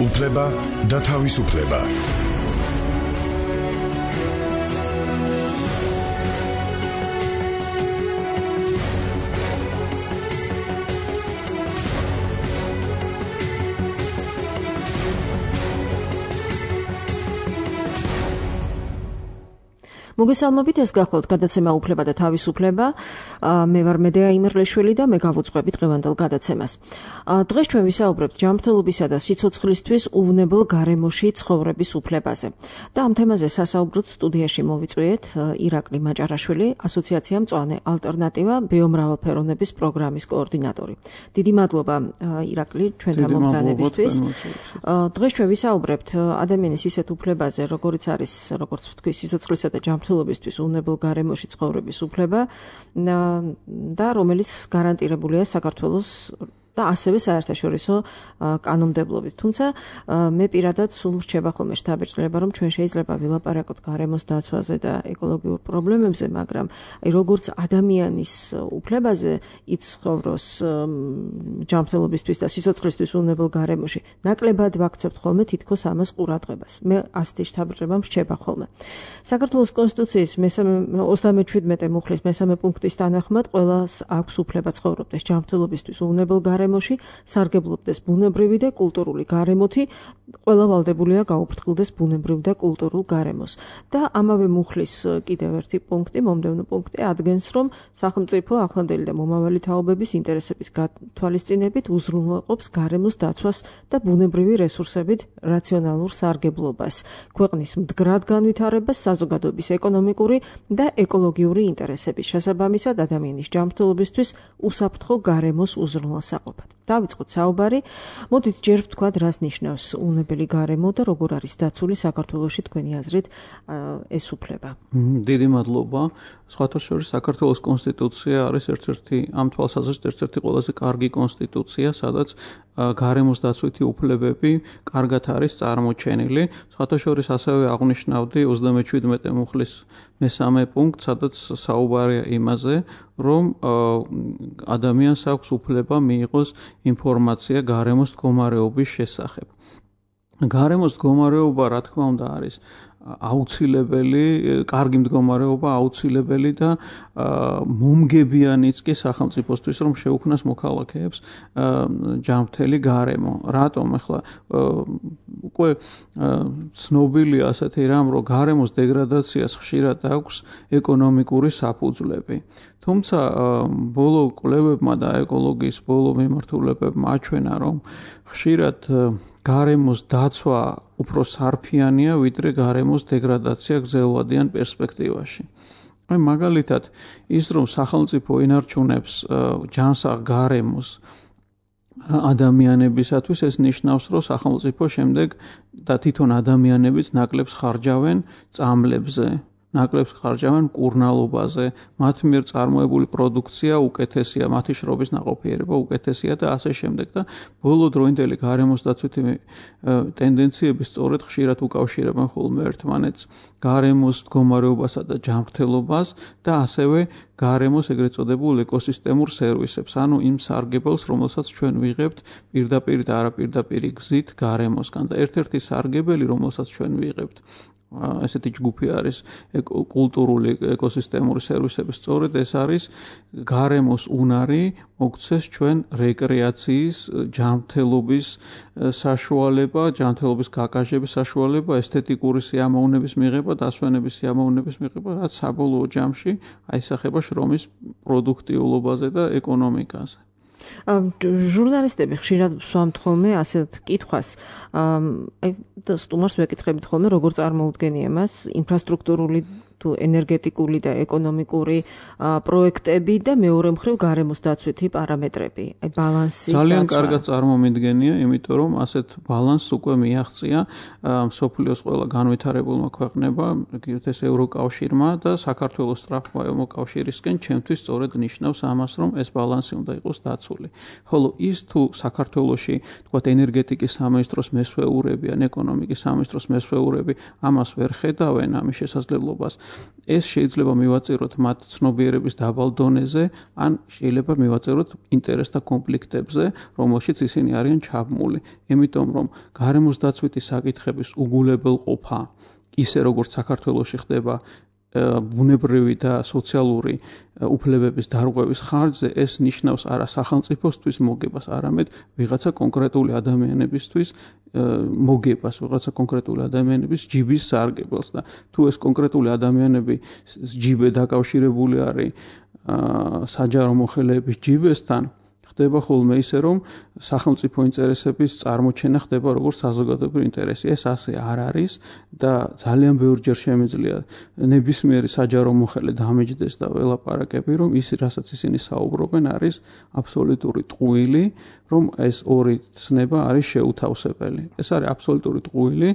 უფლება და თავისუფლება. მოგესალმებით, ეს გახლავთ გადაცემა უფლება და თავისუფლება. მე ვარ მედეა იმერლიშვილი და მე გავუძღვები დღევანდელ გადაცემას. დღეს ჩვენ ვისაუბრებთ ჯანმრთელობისა და სიცოცხლისთვის უვნებელ გარემოში ცხოვრების უფლებაზე. და ამ თემაზე სასაუბროდ სტუდიაში მოვიწვიეთ ირაკლი მაჭარაშვილი, ასოციაცია მწვანე ალტერნატივა ბიომრავალფეროვნების პროგრამის კოორდინატორი. დიდი მადლობა ირაკლი ჩვენთან მომბრძანებისთვის. დღეს ჩვენ ვისაუბრებთ ადამიანის ისეთ უფლებაზე, როგორც არის, როგორც ვთქვი, სიცოცხლისა და ჯანმრთელობისთვის უვნებელ გარემოში ცხოვრების უფლება და რომელიც გარანტირებულია საქართველოს და ასევე საერთაშორისო კანონმდებლობით. თუმცა მე პირადად სულ რჩება ხოლმე შთაბეჭდილება, რომ ჩვენ შეიძლება ვილაპარაკოთ გარემოს დაცვაზე და ეკოლოგიურ პრობლემებზე, მაგრამ როგორც ადამიანის უფლებაზე იცხოვროს ჯანმრთელობისთვის და სიცოცხლისთვის უვნებელ გარემოში, ნაკლებად ვაქცევთ ხოლმე თითქოს ამას ყურადღებას. მე ასეთი შთაბეჭდილება რჩება ხოლმე. საქართველოს კონსტიტუციის 37 მუხლის მესამე პუნქტის თანახმად ყველას აქვს უფლება ცხოვრობდეს ჯანმრთელობისთვის უვნებელ გარემოში, სარგებლობდეს ბუნებრივი და კულტურული გარემოთი, ყველა ვალდებულია გაუფრთხილდეს ბუნებრივ და კულტურულ გარემოს. და ამავე მუხლის კიდევ ერთი პუნქტი, მომდევნო პუნქტი ადგენს, რომ სახელმწიფო ახლანდელი და მომავალი თაობების ინტერესების გათვალისწინებით უზრუნველყოფს გარემოს დაცვას და ბუნებრივი რესურსებით რაციონალურ სარგებლობას, ქვეყნის მდგრად განვითარებას, საზოგადოების ეკონომიკური და ეკოლოგიური ინტერესების შესაბამისად ადამიანის ჯანმრთელობისთვის უსაფრთხო გარემოს უზრუნველსაყოფად. დავიწყოთ საუბარი. მოდით ჯერ ვთქვათ, რას ნიშნავს უვნებელი გარემო და როგორ არის დაცული საქართველოში თქვენი აზრით ეს უფლება. დიდი მადლობა. სხვათა შორის საქართველოს კონსტიტუცია არის ერთ-ერთი ამ თვალსაზრისით ერთ-ერთი ყველაზე კარგი კონსტიტუცია, სადაც გარემოს დაცვითი უფლებები კარგად არის წარმოჩენილი. სხვათა შორის ასევე აღნიშნავდი 37 მუხლის მესამე პუნქტ, სადაც საუბარია იმაზე, რომ ადამიანს აქვს უფლება მიიღოს ინფორმაცია გარემოს მდგომარეობის შესახებ. გარემოს მდგომარეობა, რა თქმა უნდა, არის აუცილებელი, კარგი მდგომარეობა აუცილებელი და მომგებიანიც კი სახელმწიფოსთვის, რომ შეუქმნას მოქალაქეებს ჯანმრთელი გარემო. რატომ? ახლა უკვე ცნობილია ასეთი რამ, რომ გარემოს დეგრადაციას ხშირად აქვს ეკონომიკური საფუძვლები. თუმცა ბოლო კვლევებმა და ეკოლოგიის ბოლო მიმართულებებმა აჩვენა, რომ ხშირად გარემოს დაცვა უფრო სარფიანია, ვიდრე გარემოს დეგრადაცია გრძელვადიან პერსპექტივაში. მაგალითად, ის რომ სახელმწიფო ინარჩუნებს ჯანსაღ გარემოს ადამიანებისათვის, ეს ნიშნავს, რომ სახელმწიფო შემდეგ და თვითონ ადამიანებიც ნაკლებს ხარჯავენ წამლებზე, ნაკლებს ხარჯავენ მკურნალობაზე, მათ მიერ წარმოებული პროდუქცია უკეთესია, მათი შრობის ნაყოფიერება უკეთესია და ასე შემდეგ. და ბოლო დროინდელი გარემოს დაცვითი ტენდენციები სწორედ ხშირად უკავშირებენ ხოლმე ერთმანეთს გარემოს მდგომარეობასა და ჯანმრთელობას და ასევე გარემოს ეგრეთ წოდებულ ეკოსისტემურ სერვისებს, ანუ იმ სარგებელს, რომელსაც ჩვენ ვიღებთ პირდაპირ და არაპირდაპირი გზით გარემოსგან. და ერთ-ერთი სარგებელი, რომელსაც ჩვენ ვიღებთ, ესეთი ჯგუფი არის კულტურული ეკოსისტემური სერვისები. სწორედ ეს არის გარემოს უნარი მოგცეს ჩვენ რეკრეაციის, ჯანმრთელობის საშუალება, ჯანმრთელობის გაკაჟების საშუალება, ესთეტიკური სიამოვნების მიღება, დასვენების სიამოვნების მიღება, რაც საბოლოო ჯამში აისახება შრომის პროდუქტიულობაზე და ეკონომიკაზე. ჟურნალისტები ხშირად ვსვამთ ხოლმე ასეთ კითხვას, სტუმარს ვეკითხებით ხოლმე, როგორ წარმოუდგენია მას ინფრასტრუქტურული თუ ენერგეტიკული და ეკონომიკური პროექტები და მეორე მხრივ გარემოს დაცვითი პარამეტრები, ბალანსის დაცვა. ძალიან კარგად წარმომიდგენია, იმიტომ რომ ასეთ ბალანსს უკვე მიაღწია მსოფლიოს ყველა განვითარებულმა ქვეყნებამ, ეს ევროკავშირმა და საქართველოს სწრაფმა მოკავშირისკენ, ჩემთვის სწორედ ნიშნავს ამას, რომ ეს ბალანსი უნდა იყოს დაცული. ხოლო ის თუ საქართველოში, თქვათ, ენერგეტიკის სამინისტროს მესვეურები ან ეკონომიკის სამინისტროს მესვეურები ამას ვერ ხედავენ, ამის შესაძლებლობას ეს შეიძლება მივაწიროთ მათ ცნობიერების დაბალ დონეზე, ან შეიძლება მივაწიროთ ინტერესთა კონფლიქტებზე, რომელშიც ისინი არიან ჩაბმული. Იმიტომ რომ გარემოს დაცვითი საკითხების უგულებელყოფა, ისე როგორც საქართველოში ხდება ბუნებრივი და სოციალური უფლებების დარღვევის ხარჯზე, ეს ნიშნავს არა სახელმწიფოსთვის მოგებას, არამედ ვიღაცა კონკრეტული ადამიანებისთვის მოგებას, ვიღაცა კონკრეტული ადამიანების ჯიბის სარგებელს და თუ ეს კონკრეტული ადამიანები ჯიბე დაკავშირებული არის საჯარო მოხელეების ჯიბესთან, ხდება ხოლმე ისე, რომ სახელმწიფო ინტერესების წარმოჩენა ხდება როგორც საზოგადოებრივი ინტერესი. ეს ასე არ არის და ძალიან ბევრჯერ შემიძლია ნებისმიერი საჯარო მოხელე დამეჯდეს და ველაპარაკები, რომ ის, რასაც ისინი საუბრობენ, არის აბსოლუტური ტყუილი, რომ ეს ორი ცნება არის შეუთავსებელი. ეს არის აბსოლუტური ტყუილი.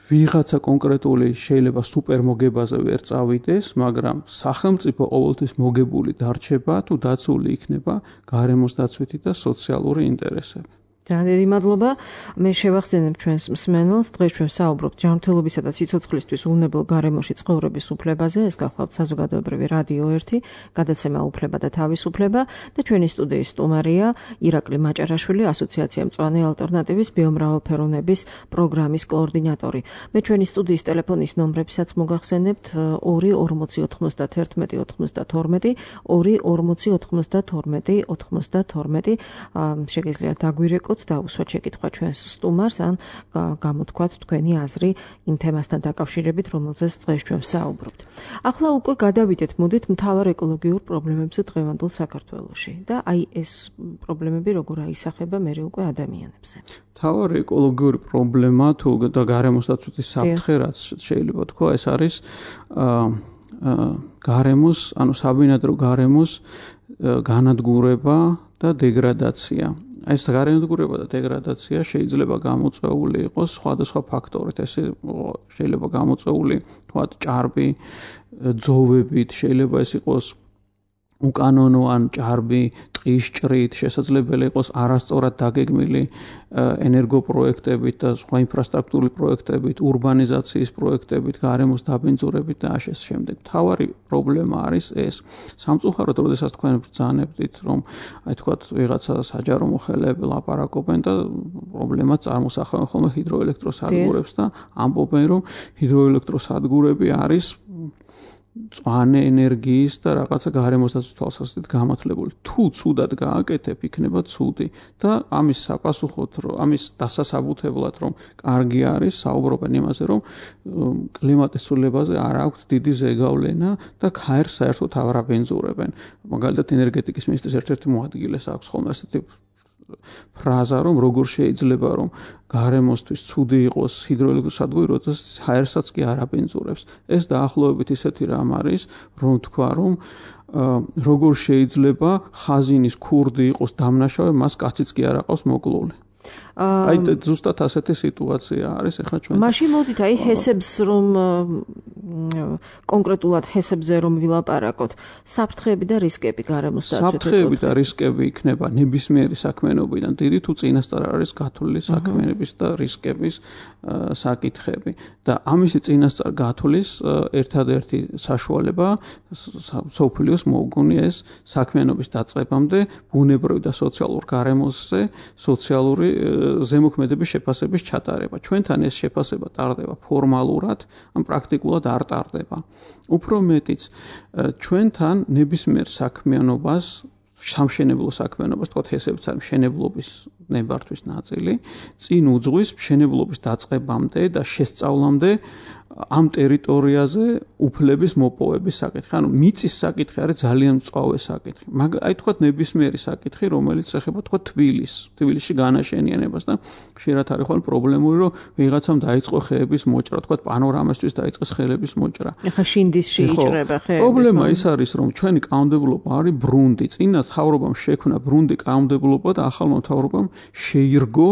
ვიღაცა კონკრეტული შეიძლება სუპერმოგებაზე ვერ წავიდეს, მაგრამ სახელმწიფო ყოველთვის მოგებული დარჩება თუ დაცული იქნება გარემოს დაცვითი და სოციალური ინტერესები. ძალიან დიდი მადლობა. მე შევახსენებ ჩვენს მსმენელს, დღეს ჩვენ საუბრობთ ჯანმრთელობისა და სიცოცხლისთვის უვნებელ გარემოში ცხოვრების უფლებაზე. ეს გახლავთ საზოგადოებრივი რადიო 1, გადაცემა უფლება და თავისუფლება და ჩვენი სტუდიის სტუმარია ირაკლი მაჭარაშვილი, ასოციაცია მწვანე ალტერნატივის ბიომრავალფეროვნების პროგრამის კოორდინატორი. მე ჩვენი სტუდიის ტელეფონის ნომრებსაც მოგახსენებთ 2 40 91 92 2 40 92 92. შეგიძლიათ დაგვირეკოთ და უსვათ შეკითხვა ჩვენს სტუმარს ან გამოთქვათ თქვენი აზრი იმ თემასთან დაკავშირებით, რომელზეც დღეს ჩვენ ვსაუბრობთ. ახლა უკვე გადავიდეთ, მოდით მთავარ ეკოლოგიურ პრობლემებზე დღევანდელ საქართველოში და აი ეს პრობლემები როგორ აისახება მერე უკვე ადამიანებზე. მთავარი ეკოლოგიური პრობლემა თუ და გარემოს დაცვითი საფრთხე, რაც შეიძლება თქვა, ეს არის გარემოს, ანუ საბინადრო გარემოს განადგურება და დეგრადაცია. ეს განადგურება და დეგრადაცია შეიძლება გამოწვეული იყოს სხვადასხვა ფაქტორით. ეს შეიძლება გამოწვეული თქვათ ჭარბი ძოვებით, შეიძლება ეს იყოს უკანონო ან ჭარბი ტყის ჭრით, შესაძლებელი იყოს არასწორად დაგეგმილი ენერგოპროექტებით და სხვა ინფრასტრუქტურული პროექტებით, ურბანიზაციის პროექტებით, გარემოს დაბინძურებით და ასე შემდეგ. მთავარი პრობლემა არის ეს. სამწუხაროდ, როდესაც თქვენ ბრძანებდით, რომ აი თქვათ ვიღაცა საჯარო მოხელეები ლაპარაკობენ და პრობლემას წარმოსახავენ ხოლმე ჰიდროელექტროსადგურებს და ამბობენ, რომ ჰიდროელექტროსადგურები არის მწვანე ენერგიის და რაღაცა გარემოს დაცვის თვალსაზრისით გამართლებული. თუ ცუდად გააკეთებ, იქნება ცუდი და ამის საპასუხოდ, ამის დასასაბუთებლად, რომ კარგი არის, საუბრობენ იმაზე, რომ კლიმატის ცვლილებაზე არ აქვს დიდი ზეგავლენა და ქაერს საერთოდ არ აბენზურებენ. მაგალითად, ენერგეტიკის მინისტრის ერთ-ერთი მოადგილეს აქვს ხოლმე ასეთი ფრაზა, რომ როგორ შეიძლება რომ გარემოსთვის ცუდი იყოს ჰიდროელექტროსადგური, როდესაც ჰაერსაც კი არ აბენზურებს. ეს დაახლოებით ისეთი რამ არის, რომ თქვა, რომ როგორ შეიძლება ხაზინის ქურდი იყოს დამნაშავე, მას კაციც კი არ აყავს მოკლული. აი ზუსტად ასეთი სიტუაცია არის ახლა ჩვენ. მაშინ მოდით აი ჰესებს რომ კონკრეტულად ჰესებზე რომ ვილაპარაკოთ, საფრთხეები და რისკები გარემოს დაცვითი. საფრთხეები და რისკები იქნება ნებისმიერი საქმიანობიდან დიდი თუ წინასწარ არის გათვლილი საქმიანობის და რისკების საკითხები. და ამისი წინასწარ გათვლის ერთადერთი საშუალება სოფლიოს მოუგონია ეს საქმიანობის დაწყებამდე ბუნებრივი და სოციალურ გარემოსზე სოციალური ზემოქმედების შეფასების ჩატარება. ჩვენთან ეს შეფასება ტარდება ფორმალურად, ან პრაქტიკულად არ ტარდება. უფრო მეტიც, ჩვენთან ნებისმიერ საქმიანობას, სამშენებლო საქმიანობას, თქო ჰესებიც არის მშენებლობის ნებართვის ნაწილი, წინ უძღვის მშენებლობის დაწყებამდე და შესწავლამდე ამ ტერიტორიაზე უფლების მოპოვების საკითხი. ანუ მიწის საკითხი არის ძალიან მწვავე საკითხი. აი თქვათ ნებისმიერი საკითხი, რომელიც ეხება თქვათ თბილისში განაშენიანებას და ხშირად არის ხოლმე პრობლემური, რომ ვიღაცამ დაიწყო ხეების მოჭრა, თქვათ პანორამასთვის დაიწყეს ხეების მოჭრა. ეხლა შინდისში იჭრება ხეები. პრობლემა ის არის, რომ ჩვენი კანონმდებლობა არის ბრუნდი. წინა მთავრობამ შექმნა ბრუნდი კანონმდებლობა და ახალმა მთავრობამ შეირგო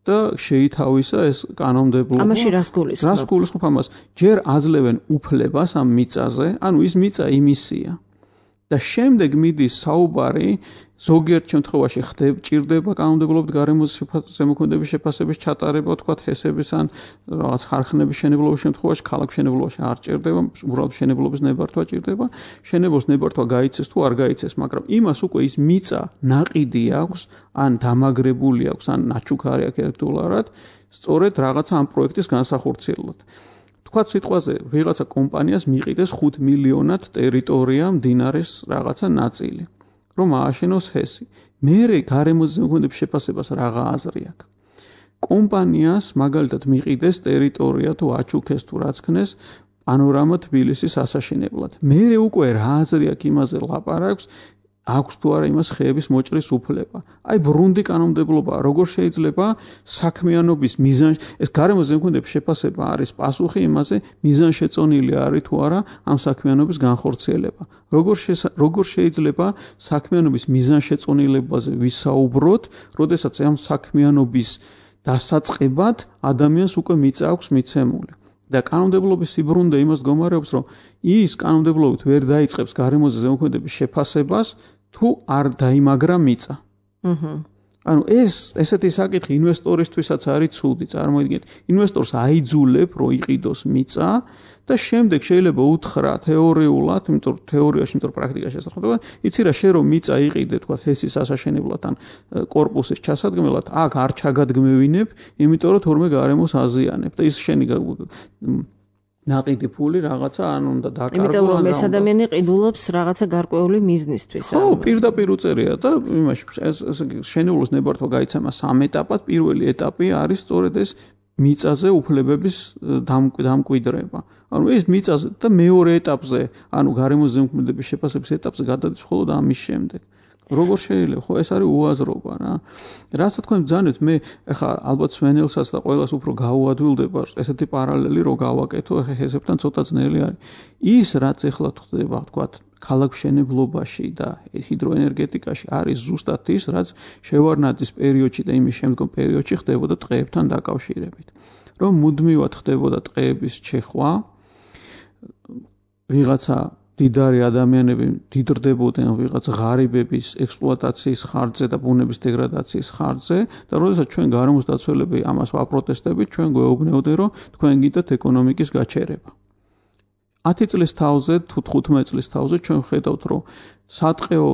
და შეითავისა ეს კანონმდებლობა. ამაში რას გულისხმობთ? რას გულისხმობ ამას? ჯერ აძლევენ უფლებას ამ მიწაზე, ანუ ის მიწა იმისია. და შემდეგ მიდის საუბარი ზოგიერთ შემთხვევაში ჭირდება კანონმდებლობით გარემოს ზემოქმედების შეფასების ჩატარება, თქვათ ჰესების ან რაღაც ხარხნების შენებლობის შემთხვევაში, ქალაქ შენებლობაში არ ჭირდება, უბრალოდ შენებლობის ნებართვა ჭირდება, შენებოს ნებართვა გაიცეს თუ არ გაიცეს, მაგრამ იმას უკვე ის მიწა ნაყიდი აქვს, ან დამაგრებული აქვს, ან ნაჩუქარი აქვს ელექტრულად, სწორედ რაღაცა ამ პროექტის განსახორციელებლად. თქვათ სიტყვაზე ვიღაცა კომპანიას მიყიდეს 5 მილიონად ტერიტორია მდინარის რაღაცა ნაწილი. რომ ააშენოს ჰესი. მერე გარემოს ზემოქმედების შეფასებას რაღა აზრი აქვს. კომპანიას მაგალითად მიყიდეს ტერიტორია თუ აჩუქეს თუ რაც ქნეს პანორამა თბილისის ასაშენებლად. მერე უკვე რა აზრი აქვს იმაზე ლაპარაკს, აქვს თუ არა იმას ხეების მოჭრის უფლება. აი ბრუნდი კანონმდებლობა, როგორ შეიძლება საქმიანობის მიზანში, ეს გარემოს ზემოქმედების შეფასება არის პასუხი იმაზე, მიზანშეწონილი არის თუ არა ამ საქმიანობის განხორციელება. როგორ შეიძლება საქმიანობის მიზანშეწონილებაზე ვისაუბროთ, როდესაც ამ საქმიანობის დასაწყებად ადამიანს უკვე მიწა აქვს მიცემული. და კანონმდებლობის სიბრუნდე იმას გომარებს, რომ ის კანონმდებლობით ვერ დაიწყებს გარემოზე ზემოქმედების შეფასებას, თუ არ დაიმაგრა მიწა. ანუ ესეთი საკითხი ინვესტორისთვისაც არის ცუდი, წარმოიდგინეთ, ინვესტორს აიძულებ, რომ იყიდოს მიწა და შემდეგ შეიძლება უთხრა თეორიულად, იმიტომ თეორიაში, იმიტომ პრაქტიკაში ესახება, იცი რა, შენ რომ მიწა იყიდე, თქვა ჰესის ასაშენებლად ან კორპუსის ჩასადგმელად, აქ არ ჩაგადგმევინებ, იმიტომ რომ თორმე გარემოს აზიანებ და ის შენი ნაყიდი ფული რაღაცა ან უნდა დაკარგო. იმიტომ რომ ეს ადამიანი ყიდულობს რაღაცა გარკვეული მიზნისთვის. ხო, პირდაპირ უწერია და იმაში შენებულოს ნებართვა გაიცემა 3 ეტაპად. პირველი ეტაპი არის სწორედ ეს მიწაზე უფლებების დამკვიდრება. ანუ ეს მიწაზე და მეორე ეტაპზე, ანუ გარემოს ზემოქმედების შეფასების ეტაპზე გადადის მხოლოდ ამის შემდეგ. როგორ შეიძლება? ხო, ეს არის უაზრობა რა. რასაც თქვენ ბრძანებთ, მე ეხა ალბათ სვენელსაც და ყველას უფრო გაუადვილდება ესეთი პარალელი რო გავაკეთო, ეხა ჰესებთან ცოტა ძნელი არის. ის რაც ეხლა ხდება, თქვათ, ქალაქმშენებლობაში და ჰიდროენერგეტიკაში არის ზუსტად ის, რაც შევარდნაძის პერიოდში და იმის შემდგომ პერიოდში ხდებოდა ტყეებთან დაკავშირებით. რომ მუდმივად ხდებოდა ტყეების ჩეხვა, ვიღაცა დიდარი ადამიანები დიდრდებოდნენ ვიღაც ღარიბების ექსპლუატაციის ხარჯზე და ბუნების დეგრადაციის ხარჯზე და როდესაც ჩვენ გარემოს დაცველები ამას ვაპროტესტებით, ჩვენ გვეუბნებოდნენ, რომ თქვენ გინდათ ეკონომიკის გაჩერება. 10 წლის თავზე თუ 15 წლის თავზე ჩვენ ხედავთ, რომ სატყეო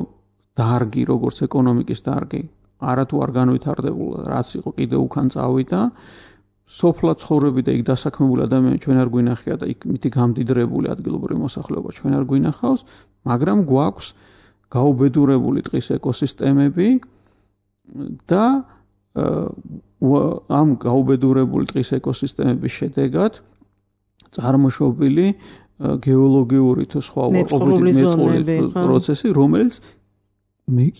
დარგი, როგორც ეკონომიკის დარგი, არათუ არ განვითარდებულა, რაც იყო კიდევ უკან წავიდა. სოფლად ცხოვრები და იქ დასაქმებული ადამიანები ჩვენ არ გვინახია და იქ მითი გამდიდრებული ადგილობრივი მოსახლეობა ჩვენ არ გვინახავს, მაგრამ გვაქვს გაუბედურებული ტყის ეკოსისტემები და ამ გაუბედურებული ტყის ეკოსისტემების შედეგად წარმოშობილი გეოლოგიური თუ სხვა უარყოფითი პროცესი, რომელიც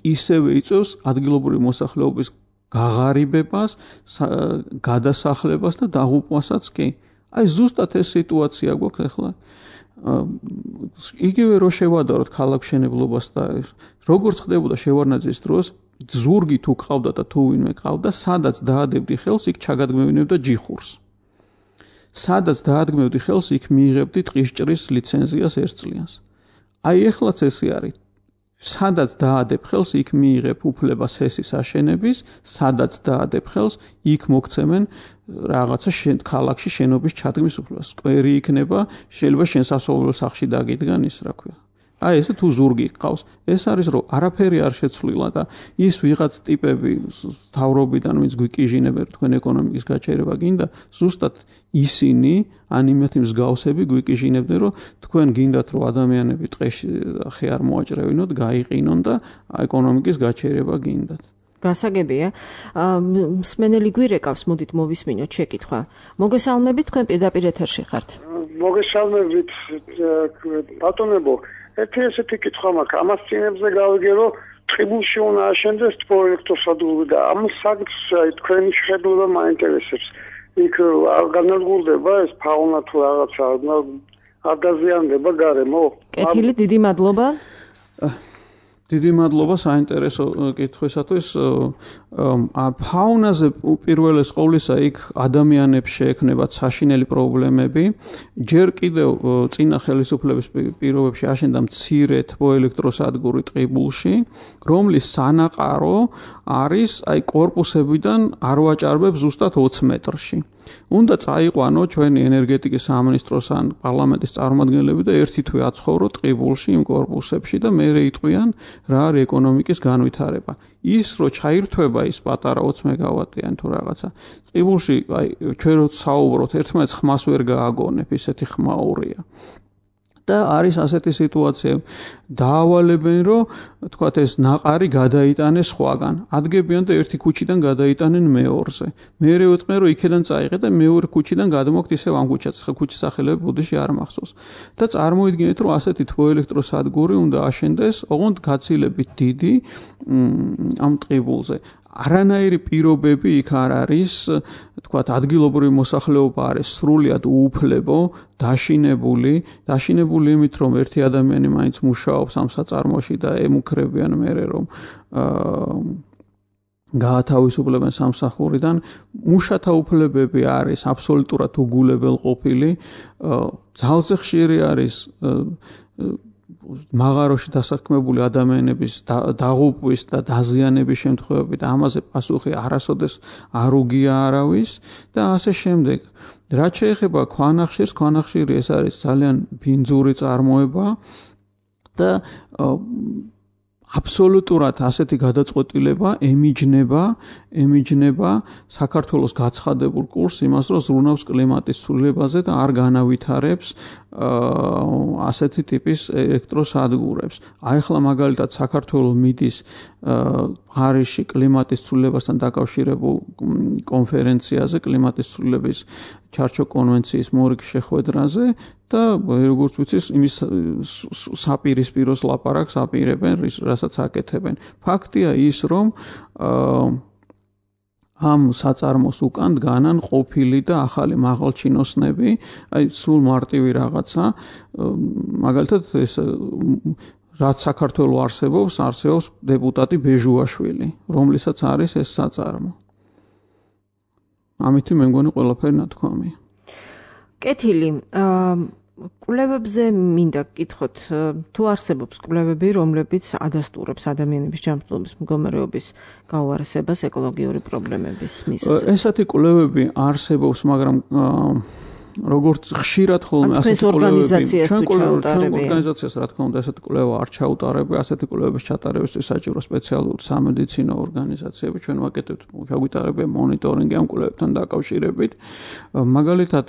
ისევე იწვევს ადგილობრივი მოსახლეობის გაღარიბებას, გადასახლებას და დაღუპვასაც კი. აი ზუსტად ეს სიტუაცია გვაქვს ახლა. იგივე რო შევადაროთ ქალაქმშენებლობას და როგორც ხდებოდა შევარდნაძის დროს, ზურგი თუ ყავდა და თუ ვინმე ყავდა, სადაც დაადებდი ხელს, იქ ჩაგადგმევინებდა ჯიხურს. სადაც დაადგმევდი ხელს, იქ მიიღებდი ტყისჭრის ლიცენზიას 1 წლიანს. აი ეხლაც ესე არის. სადაც დაადებ ხელს, იქ მიიღებ უფლებას ჰესის აშენების, სადაც დაადებ ხელს, იქ მოგცემენ რაღაცა ქალაქში შენობის ჩადგმის უფლებას. სკვერი იქნება, შეიძლება შენ სასოფლო სახლში დაგიდგან ის, რა ქვია. აი ესე თუ ზურგი ყავს, ეს არის რომ არაფერი არ შეცვლილა და ის ვიღაც ტიპები თავრობიდან ვინც გვიკიჟინებენ თქვენ ეკონომიკის გაჩერება გინდა, ზუსტად ისინი ან იმათი მსგავსები გვიკიჟინებდნენ, რომ თქვენ გინდათ რომ ადამიანები ტყეში ხე არ მოაჭრევინოთ, გაიყინონ და ეკონომიკის გაჩერება გინდათ. გასაგებია. მსმენელი გვირეკავს, მოდით მოვისმინოთ შეკითხვა. მოგესალმებით, თქვენ პირდაპირ ეთერში ხართ. მოგესალმებით, ბატონებო. ესეთი კითხვა მაქვს. ამას წინებზე გავიგე, რომ ტყიბულში უნდა აშენდეს პროექტოსადული და ამ საკითხს თქვენი შეხედულება მაინტერესებს. იქ არ განადგურდება ეს ფაუნა თუ რაღაცა, არ დაზიანდება გარემო? კეთილი, დიდი მადლობა. დიდი მადლობა საინტერესო კითხვისათვის. ფაუნაზე პირველეს ყოვლისა იქ ადამიანებს შეექმნებათ საშინელი პრობლემები. ჯერ კიდევ წინა ხელისუფლების პირობებში აშენდა მცირე თბოელექტროსადგური ტყიბულში, რომლის სანაყარო არის კორპუსებიდან არ ვაჭარბებს ზუსტად 20 მეტრში. უნდა წაიყვანო ჩვენი ენერგეტიკის სამინისტროს ან პარლამენტის წარმომადგენლები და ერთი თვე აცხოვრო ტყიბულში იმ კორპუსებში და მერე იტყვიან რა არის ეკონომიკის განვითარება. ის რო ჩაირთვება ის პატარა 20 მეგავატიანი თუ რაღაცა ტყიბულში ჩვენ რო საუბრობთ ერთმანეთს ხმას ვერ გააგონებ, ისეთი ხმაურია. და არის ასეთი სიტუაცია, დაავალებენ რომ თქვათ ეს ნაყარი გადაიტანეს სხვაგან. ადგებიან და ერთი ქუჩიდან გადაიტანენ მეორზე. მერე ვიტყვენ რომ იქიდან წაიღე და მეორე ქუჩიდან გადმოგთ ისევ ამ ქუჩას. ხა ქუჩის სახელები ბუდიში არ მახსოვს. და წარმოიდგინეთ რომ ასეთი თბოელექტროსადგური უნდა აშენდეს, ოღონდ გაცილებით დიდი ამ ტყიბულზე. არანაირი პირობები იქ არ არის, თქვათ ადგილობრივი მოსახლეობა არის სრულიად უუფლებო, დაშინებული იმით რომ ერთი ადამიანი მაინც მუშაობს ამ საწარმოში და ემუქრებიან მერე რომ გაათავისუფლებენ სამსახურიდან. მუშათა უფლებები არის აბსოლუტურად უგულებელყოფილი. ძალზე ხშირი არის მაღაროში დასაქმებული ადამიანების დაღუპვის და დაზიანების შემთხვევები და ამაზე პასუხი არასოდეს არ უგია არავის და ასე შემდეგ. რაც შეეხება ქვანახშირს, ქვანახშირი ეს არის ძალიან ბინძური წარმოება და აბსოლუტურად ასეთი გადაწყვეტილება ემიჯნება საქართველოს გაცხადებულ კურსს იმას, რომ ზრუნავს კლიმატის ცვლილებაზე და არ განავითარებს ასეთი ტიპის ელექტროსადგურებს. ახლა მაგალითად საქართველოს მიდის პარიზში კლიმატის ცვლილებასთან დაკავშირებულ კონფერენციაზე, კლიმატის ცვლილების ჩარჩო კონვენციის მორიგ შეხვედრაზე და როგორც ვიცით, იმის საპირისპიროს ლაპარაკს აპირებენ, რასაც აკეთებენ. ფაქტია ის, რომ ამ საწარმოს უკან დგანან ყოფილი და ახალი მაღალჩინოსნები, სულ მარტივი რაღაცა, მაგალითად ეს რაც საქართველოს არსებობს დეპუტატი ბეჟუაშვილი, რომლისაც არის ეს საწარმო. ამით მე მგონი ყველაფერი ნათქვამია. კეთილი, კვლევებზე მინდა გკითხოთ, თუ არსებობს კვლევები, რომლებიც ადასტურებს ადამიანების ჯანმრთელობის მდგომარეობის გაუარესებას ეკოლოგიური პრობლემების მიზეზად. ესეთი კვლევები არსებობს, მაგრამ როგორც ხშირად ხოლმე ასეთი ორგანიზაციას რა თქმა უნდა ესეთი კვლევა არ ჩაუტარებია, ასეთი კვლევების ჩატარებისთვის საჭირო სპეციალური სამედიცინო ორგანიზაციები, ჩვენ ვაკეთებთ, ჩაგვიტარებია მონიტორინგი ამ კვლევებთან დაკავშირებით. მაგალითად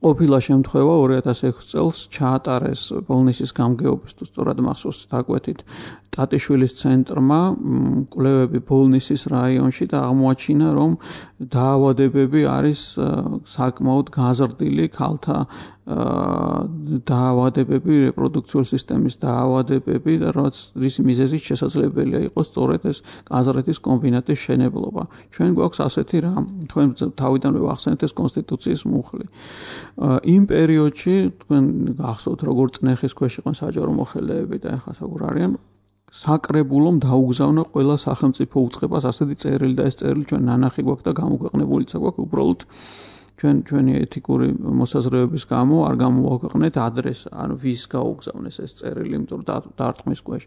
ყოფილა შემთხვევა 2006 წელს ჩაატარეს ბოლნისის გამგეობის თუ სწორად მახსოვს დაკვეთით ტატიშვილის ცენტრმა კვლევები ბოლნისის რაიონში და აღმოაჩინა რომ დაავადებები არის საკმაოდ გაზრდილი ქალთა დაავადებები, რეპროდუქციული სისტემის დაავადებები და რის მიზეზით შესაძლებელია იყოს სწორედ ეს გაზრეთის კომბინატის შენებლობა. ჩვენ გვაქვს ასეთი რამ, თქვენ თავიდანვე ვახსენეთ ეს კონსტიტუციის მუხლი. იმ პერიოდში თქვენ გახსოვთ როგორ წნეხის ქვეშ იყვნენ საჯარო მოხელეები და ახლა როგორ არიან საკრებულომ დაუგზავნა ყველა სახელმწიფო უწყებას ასეთი წერილი და ეს წერილი ჩვენ ნანახი გვაქვს და გამოქვეყნებულიც გვაქვს უბრალოდ ჩვენი ეთიკური მოსაზრებების გამო არ გამოვაქვეყნეთ ადრესს, ანუ ვის გაუგზავნეს ეს წერილი, იმიტომ რომ დარტყმის ქვეშ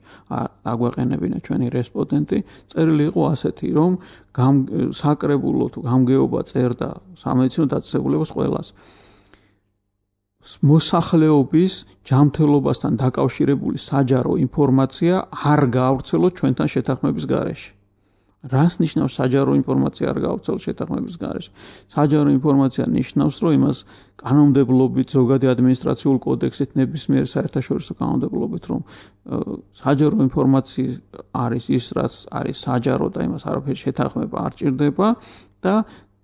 აგვეყენებინა ჩვენი რესპონდენტი. წერილი იყო ასეთი, რომ საკრებულო თუ გამგეობა წერდა სამედიცინო დაწესებულებას ყველას. მოსახლეობის ჯანმრთელობასთან დაკავშირებული საჯარო ინფორმაცია არ გაავრცელოთ ჩვენთან შეთანხმების გარეშე. რას ნიშნავს საჯარო ინფორმაცია არ გაავრცელოთ შეთანხმების გარეშე? საჯარო ინფორმაცია ნიშნავს, რომ იმას კანონმდებლობით, ზოგადი ადმინისტრაციული კოდექსით, ნებისმიერ საერთაშორისო კანონმდებლობით, რომ საჯარო ინფორმაცია არის ის, რაც არის საჯარო და იმას არაფერი შეთანხმება არ ჭირდება და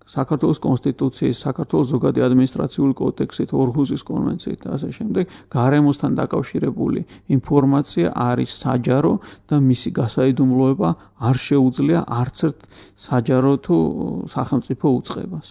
საქართველოს კონსტიტუციის, საქართველოს ზოგადი ადმინისტრაციული კოდექსით, ორჰუსის კონვენციით და ასე შემდეგ, გარემოსთან დაკავშირებული ინფორმაცია არის საჯარო და მისი გასაიდუმლოება არ შეუძლია არც ერთ საჯარო თუ სახელმწიფო უწყებას.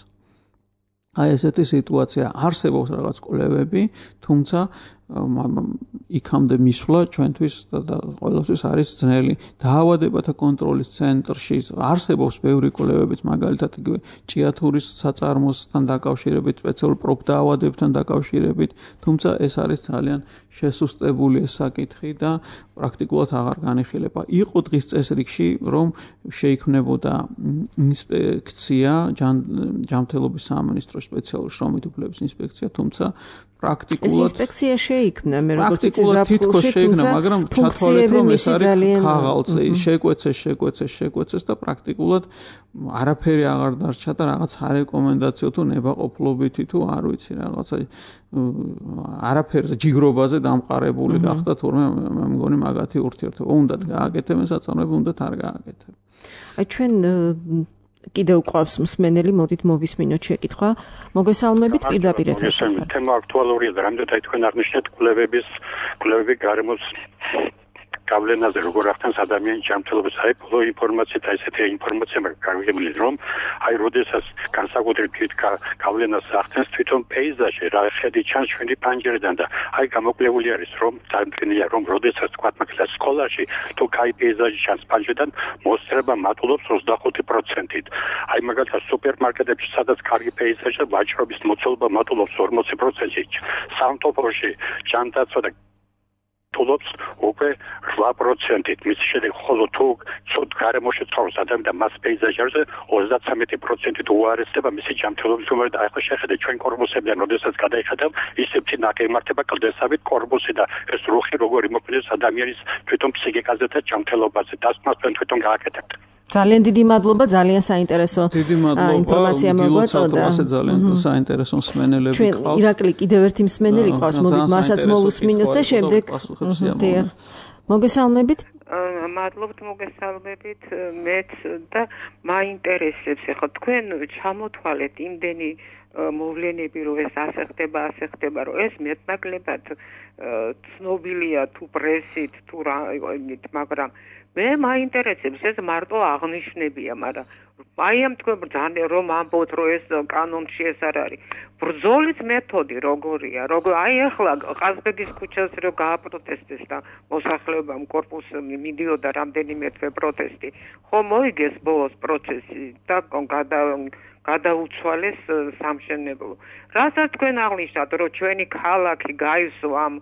აი ესეთი სიტუაცია არსებობს რაღაც კვლევები, თუმცა იქამდე მისვლა ჩვენთვის და ყველასთვის არის ძნელი. დაავადებათა კონტროლის ცენტრში არსებობს ბევრი კვლევებიც, მაგალითად იგივე ჭიათურის საწარმოსთან დაკავშირებით, სპეციალურ პროფდაავადებებთან დაკავშირებით, თუმცა ეს არის ძალიან შესუსტებული ეს საკითხი და პრაქტიკულად აღარ განიხილება. იყო დღის წესრიგში, რომ შეიქმნებოდა ინსპექცია, ჯანმრთელობის სამინისტროს სპეციალური შრომით უფლებების ინსპექცია, თუმცა პრაქტიკულად ეს ინსპექცია შეიქმნა, მე როგორც იცი ზაფხულში, თუმცა მაგრამ ჩათვალეთ რომ ეს არის ხაღალწე, შეკვეცეს და პრაქტიკულად არაფერი აღარ დარჩა და რაღაც არეკომენდაციო თუ ნებაყოფლობითი თუ არ ვიცი რაღაცა არაფერზე ჯიგრობაზე დამყარებული გახდა თურმე მე მგონი მაგათი ურთიერთობა უნდათ გააკეთებენ საწარმოები უნდათ არ გააკეთებენ. აი ჩვენ კიდევ ყავს მსმენელი, მოდით მოვისმინოთ შეკითხვა. მოგესალმებით პირდაპირ ეთერში. თემა აქტუალურია და რამდენად თქვენ აღნიშნეთ კვლევები გარემოს გავლენაზე როგორ ახდენს ადამიანის ჯანმრთელობას. აი ბოლო ინფორმაციით ესეთი ინფორმაცია მაგარგებული რომ აი როდესაც განსაკუთრებით გავლენას ახდენს თვითონ პეიზაჟი რა ხედი ჩანს ჩვენი პანჯერიდან და აი გამოკლებული არის რომ წარმოქმნილია რომ როდესაც თქვა მაგალითად სკოლაში თუ კაი პეიზაჟი ჩანს პანჯერიდან მოსწრება მატულობს 25%-ით. აი მაგალითად სუპერმარკეტებში სადაც კარგი პეიზაჟია ვაჭრობის მოცულობა მატულობს 40%-ით. სამთოფოში ჯანდაცვა და თულობს უკვე 8%-ით. მის შემდეგ ხოლო თუ ცუდ გარემოში ცხოვრობს ადამიანი და მას პეიზაჟზე 33%-ით უარესდება მისი ჯანმრთელობის უმეტეს და ახლა შეხედეთ ჩვენ კორპუსებიდან როდესაც გადაიხედავ ისევ წინა ემართება კლდესავით კორპუსი და ეს რუხი როგორ იმოქმედებს ადამიანის თვითონ ფსიქიკაზე და ჯანმრთელობაზე დასმას თვითონ გააკეთებთ. ძალიან დიდი მადლობა, ძალიან საინტერესო ინფორმაცია მოგვაწოდა. ძალიან საინტერესო მსმენელები ჩვენ ირაკლი კიდევ ერთი მსმენელი ყავს, მოდით მასაც მოვუსმინოთ და შემდეგ მოგესალმებით. მადლობთ მოგესალმებით მეც და მაინტერესებს ახლა თქვენ ჩამოთვალეთ იმდენი მოვლენები რომ ეს ასე ხდება რომ ეს მეტნაკლებად ცნობილია თუ პრესით თუ მაგრამ მე მაინტერესებს ეს მარტო აღნიშნებია, მაგრამ აი ამ თქვენ ძალიან რომ ამბობთ რომ ეს კანონში ეს არ არის. ბრძოლის მეთოდი როგორია? აი ახლა ყაზბეგის ქუჩას რო გააპროტესტეს და მოსახლეობამ კორპუსი მიდიოდა რამდენიმე თვე პროტესტი. ხო მოიგეს ბოლოს პროცესი და გადაუცვალეს სამშენებლო. რასაც თქვენ აღნიშნავთ, რომ ჩვენი ქალაქი გაისო ამ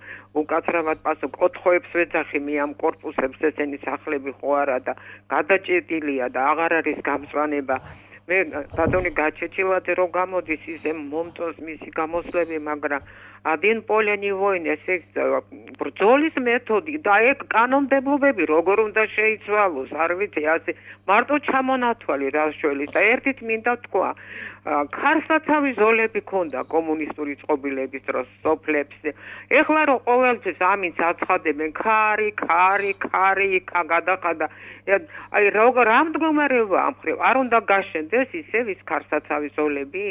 უკაცრავად პასუხ კოთხოებს ვეძახი მე ამ კორპუსებს ესენი სახლები ხო არა და გადაჭედილია და აღარ არის გამწვანება. მე ბატონი გაჩეჩილაძე რომ გამოდის ისე მომწონს მისი გამოსვლები, მაგრამ один поле не войны, ეს ბრძოლის მეთოდი და ეგ კანონმდებლობები როგორ უნდა შეიცვალოს, არ ვიცი, ასე მარტო ჩამონათვალი რასშველის და ერთით მინდა თქვა, ქარსაცავი ზოლები ქონდა კომუნისტური წყობილების დროს სოფლებს. ეხლა რომ ყოველთვის ამის აცხადებენ, ქარი, იქა გადაყადა. აი რა მდგომარეობა ამ ხრივ არ უნდა გაშენდეს ისევ ის ქარსაცავი ზოლები?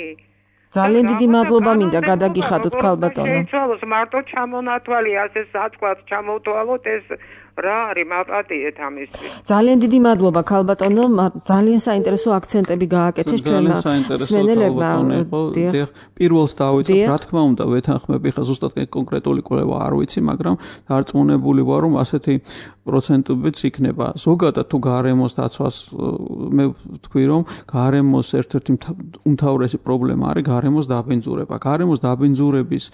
ძალიან დიდი მადლობა მინდა გადაგიხადოთ ქალბატონო. შეიცვალოს მარტო ჩამონათვალი, ასე საწყლად ჩამოვთვალოთ ეს რა არის მაპატიეთ ამისთვის. ძალიან დიდი მადლობა ქალბატონო, ძალიან საინტერესო აქცენტები გააკეთეს ჩვენმა მსმენელებმა. პირველს დავიწყებ, რა თქმა უნდა, ვეთანხმები, ხა ზუსტად კონკრეტული კვლევა არ ვიცი, მაგრამ დარწმუნებული ვარ, რომ ასეთი პროცენტებიც იქნება. ზოგადად თუ გარემოს დაცვას მე ვთქვი, რომ გარემოს ერთ-ერთი უმთავრესი პრობლემა არის გარემოს დაბინძურება. გარემოს დაბინძურების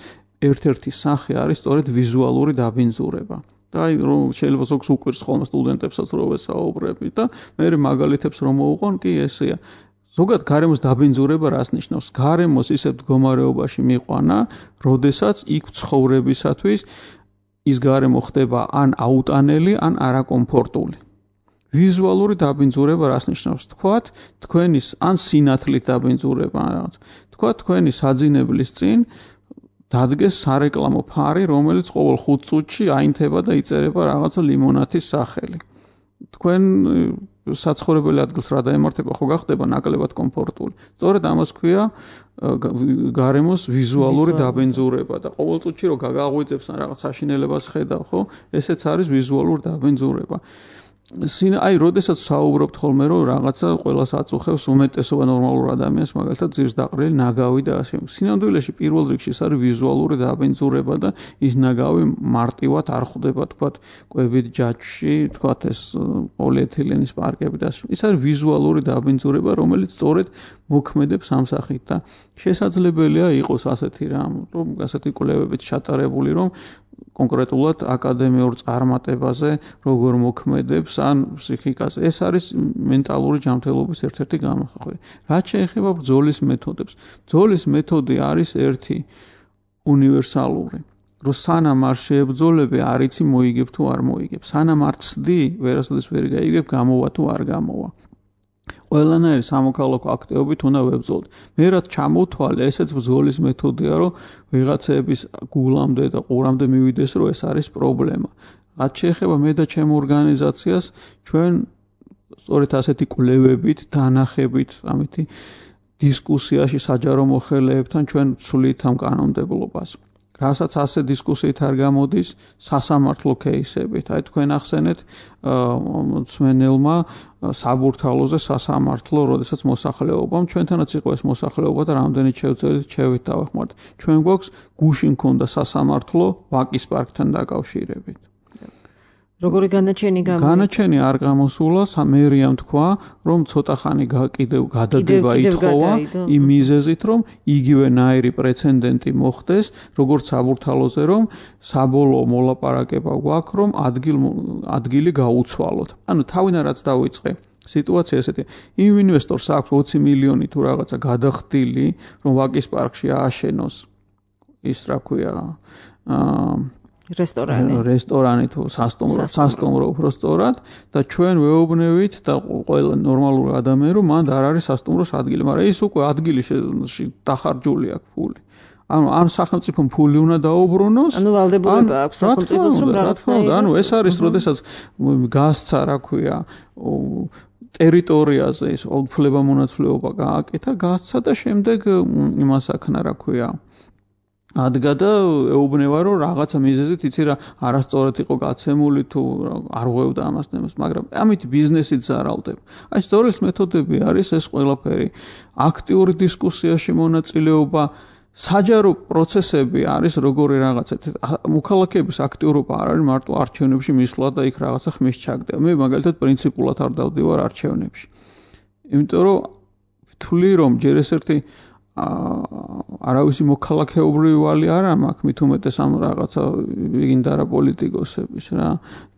ერთ-ერთი სახე არის სწორედ ვიზუალური დაბინძურება. და აი რომ შეიძლება ზოგს უკვირს ხოლმე სტუდენტებსაც რო ვესაუბრები და მე მაგალითებს რომ მოვუყონ კი ესეა. ზოგადად გარემოს დაბინძურება რას ნიშნავს? გარემოს ისეთ მდგომარეობაში მიყვანა, როდესაც იქ ცხოვრებისათვის ის გარემო ხდება ან აუტანელი, ან არაკომფორტული. ვიზუალური დაბინძურება რას ნიშნავს? თქვათ, თქვენის ან სინათლით დაბინძურება ან რაღაც. თქვათ, თქვენი საძინებლის წინ დადგეს სარეკლამო ფარი, რომელიც ყოველ 5 წუთში აინთება და იწერება რაღაცა ლიმონათის სახელი. თქვენ საცხოვრებელი ადგილს რა დაემართება, ხო გახდება ნაკლებად კომფორტული. სწორედ ამას ქვია გარემოს ვიზუალური დაბინძურება და ყოველ წუთში რო გაგაღვიძებს ან რაღაც საშინელებას ხედავ, ხო? ესეც არის ვიზუალური დაბინძურება. აი, როდესაც საუბრობთ ხოლმე, რომ რაღაცა ყველას აწუხებს უმეტესობა ნორმალურ ადამიანს, მაგალითად, ძირს დაყრილი ნაგავი და ასე. სინამდვილეში პირველ რიგში ეს არის ვიზუალური დაბინძურება და ის ნაგავი მარტივად არ ხვდება, თქვათ, კვებით ჯაჭვში, თქვათ, ეს პოლიეთილენის პარკები და ასე. ის არის ვიზუალური დაბინძურება, რომელიც სწორედ მოქმედებს ამ სახით და შესაძლებელია იყოს ასეთი რამ, რომ ასეთი კვლევებით ჩატარებული, რომ კონკრეტულად აკადემიურ წარმატებაზე როგორ მოქმედებს ან ფსიქიკაზე. ეს არის მენტალური ჯანმრთელობის ერთ-ერთი გამოხატვა. რაც შეეხება ბრძოლის მეთოდებს. ბრძოლის მეთოდი არის ერთი უნივერსალური. რომ სანამ არ შეებრძოლები, არ იცი მოიგებ თუ არ მოიგებ. სანამ არ ცდი, ვერასოდეს ვერ გაიგებ, გამოვა თუ არ გამოვა. ყველანაირი სამოქალაქო აქტივობით უნდა ვებრძოლოთ. მე რაც ჩამოვთვალე, ესეც ბრძოლის მეთოდია, რომ ვიღაცების გულამდე და ყურამდე მივიდეს, რომ ეს არის პრობლემა. რაც შეეხება მე და ჩემ ორგანიზაციას, ჩვენ სწორედ ასეთი კვლევებით, დანახებით, ამითი დისკუსიაში საჯარო მოხელეებთან ჩვენ ვცვლით ამ კანონმდებლობას. რასაც ასე დისკუსიით არ გამოდის სასამართლო кейსებით. აი თქვენ ახსენეთ მწმენელმა საბურთალოზე სასამართლო, როდესაც მოსახლეობამ ჩვენთანაც იყო ეს მოსახლეობა და რამდენი შევძელით ჩევით დავეხმართ. ჩვენ გვაქვს გუშინ მქონდა სასამართლო ვაკის პარკთან დაკავშირებით. როგორი განაჩენი განაჩენი არ გამოსულა, მერიამ თქვა, რომ ცოტა ხანი კიდევ გადადება ითხოვა იმ მიზეზით, რომ იგივენაირი პრეცედენტი მოხდეს, როგორც საბურთალოზე, რომ საბოლოო მოლაპარაკება გვაქვს, რომ ადგილი გაუცვალოთ. ანუ თავიდან რაც დავიწყე სიტუაცია ესეთი. იმ ინვესტორს აქვს 20 მილიონი თუ რაღაცა გადახდილი, რომ ვაკის პარკში ააშენოს ის რა ქვია რესტორანი თუ სასტუმრო უფრო სწორად და ჩვენ ვეუბნევით და ყველა ნორმალური ადამიანი რომ მანდ არ არის სასტუმროს ადგილი, მაგრამ ის უკვე ადგილში დახარჯული აქვს ფული. ანუ ამ სახელმწიფომ ფული უნდა დაუბრუნოს. ანუ ვალდებულება აქვს სახელმწიფოს რომ რაღაცნაირად. ანუ ეს არის, როდესაც გასცა, რა ქვია, ტერიტორიაზე ის უფლებამონაცვლეობა გააკეთა, გასცა და შემდეგ იმას აქნა, რა ქვია, ადგა და ეუბნება, რომ რაღაცა მიზეზით იცი რა არასწორად იყო გაცემული თუ არ ღვევდა ამას, მაგრამ ამით ბიზნესით ზარალდება. აი სწორედ მეთოდები არის ეს ყველაფერი. აქტიური დისკუსიაში მონაწილეობა, საჯარო პროცესები არის როგორი რაღაცა. მოქალაქეების აქტიურობა არ არის მარტო არჩევნებში მისვლა და იქ რაღაცა ხმის ჩაგდება. მე მაგალითად პრინციპულად არ დავდივარ არჩევნებში. იმიტომ რომ ვთვლი რომ ჯერ ეს ერთი არავისი მოქალაქეობრივი ვალი არა მაქვს, მით უმეტეს ამ რაღაცა ვიგინდა რა პოლიტიკოსების რა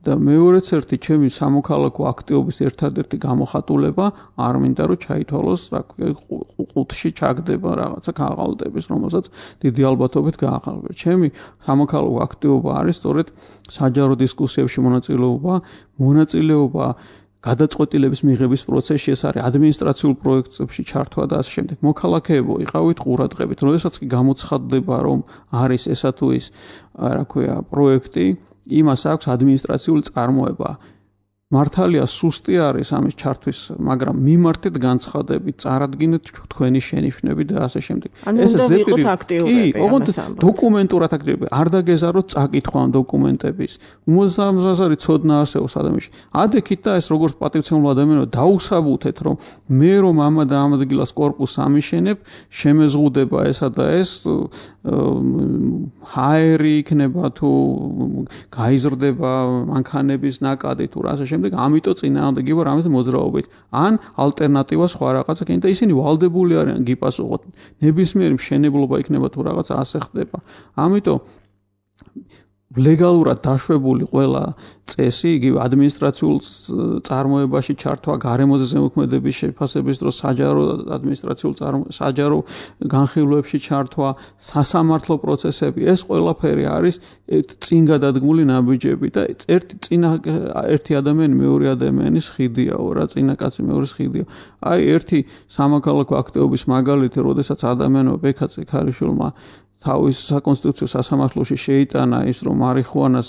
და მეორეც ერთი ჩემი სამოქალაქო აქტივობის ერთადერთი გამოხატულება არ მინდა რომ ჩაითვალოს რა ყუთში ჩაგდება რაღაცა გააღალდების, რომელსაც დიდი ალბათობით გააღალბება. ჩემი სამოქალაქო აქტივობა არის სწორედ საჯარო დისკუსიებში მონაწილეობა გადაწყვეტილების მიღების პროცესში, ეს არის ადმინისტრაციულ პროექტებში ჩართვა და ასე შემდეგ. მოქალაქეებო, იყავით ყურადღებით, როდესაც კი გამოცხადდება, რომ არის ესა თუ ის, რა ქვია, პროექტი, იმას აქვს ადმინისტრაციული წარმოება. მართალია სუსტი არის ამის ჩართვის, მაგრამ მიმართეთ განცხადებით, წარადგინეთ თქვენი შენიშვნები და ასე შემდეგ. ეს ზეპირი დოკუმენტურად აქტივები. არ დაგეზაროთ წაკითხვა ამ დოკუმენტების. უმოძრაობაზე ცოდნა არსებობს ადამიანში. ადექით და ეს როგორც პატივცემულ ადამიანო დაუსაბუთეთ, რომ მე რომ ამა და ამ ადგილას კორპუსს ამიშენებ, შემეზღუდება ესა და ეს ჰაერი იქნება თუ გაიზრდება მანქანების ნაკადი თუ რა ასე შემდეგ. ამიტომ წინააღმდეგი ვარ ამით მოძრაობით. ან ალტერნატივა სხვა რაღაცა კიდე და ისინი ვალდებული არიან გიპასუხოთ. ნებისმიერი მშენებლობა იქნება თუ რაღაცა ასე ხდება. ამიტომ ლეგალურად დაშვებული ყველა წესი, იგივე ადმინისტრაციულ წარმოებაში ჩართვა, გარემოზე ზემოქმედების შეფასების დროს საჯარო განხილვებში ჩართვა, სასამართლო პროცესები, ეს ყველაფერი არის წინ გადადგმული ნაბიჯები და ერთი ადამიანი მეორე ადამიანის ხიდიაო რა, წინა კაცი მეორის ხიდიაო. აი ერთი სამოქალაქო აქტივობის მაგალითი, როდესაც ადამიანო ბექაძე ქარიშვილმა თავის საკონსტიტუციო სასამართლოში შეიტანა ის, რომ მარიხუანას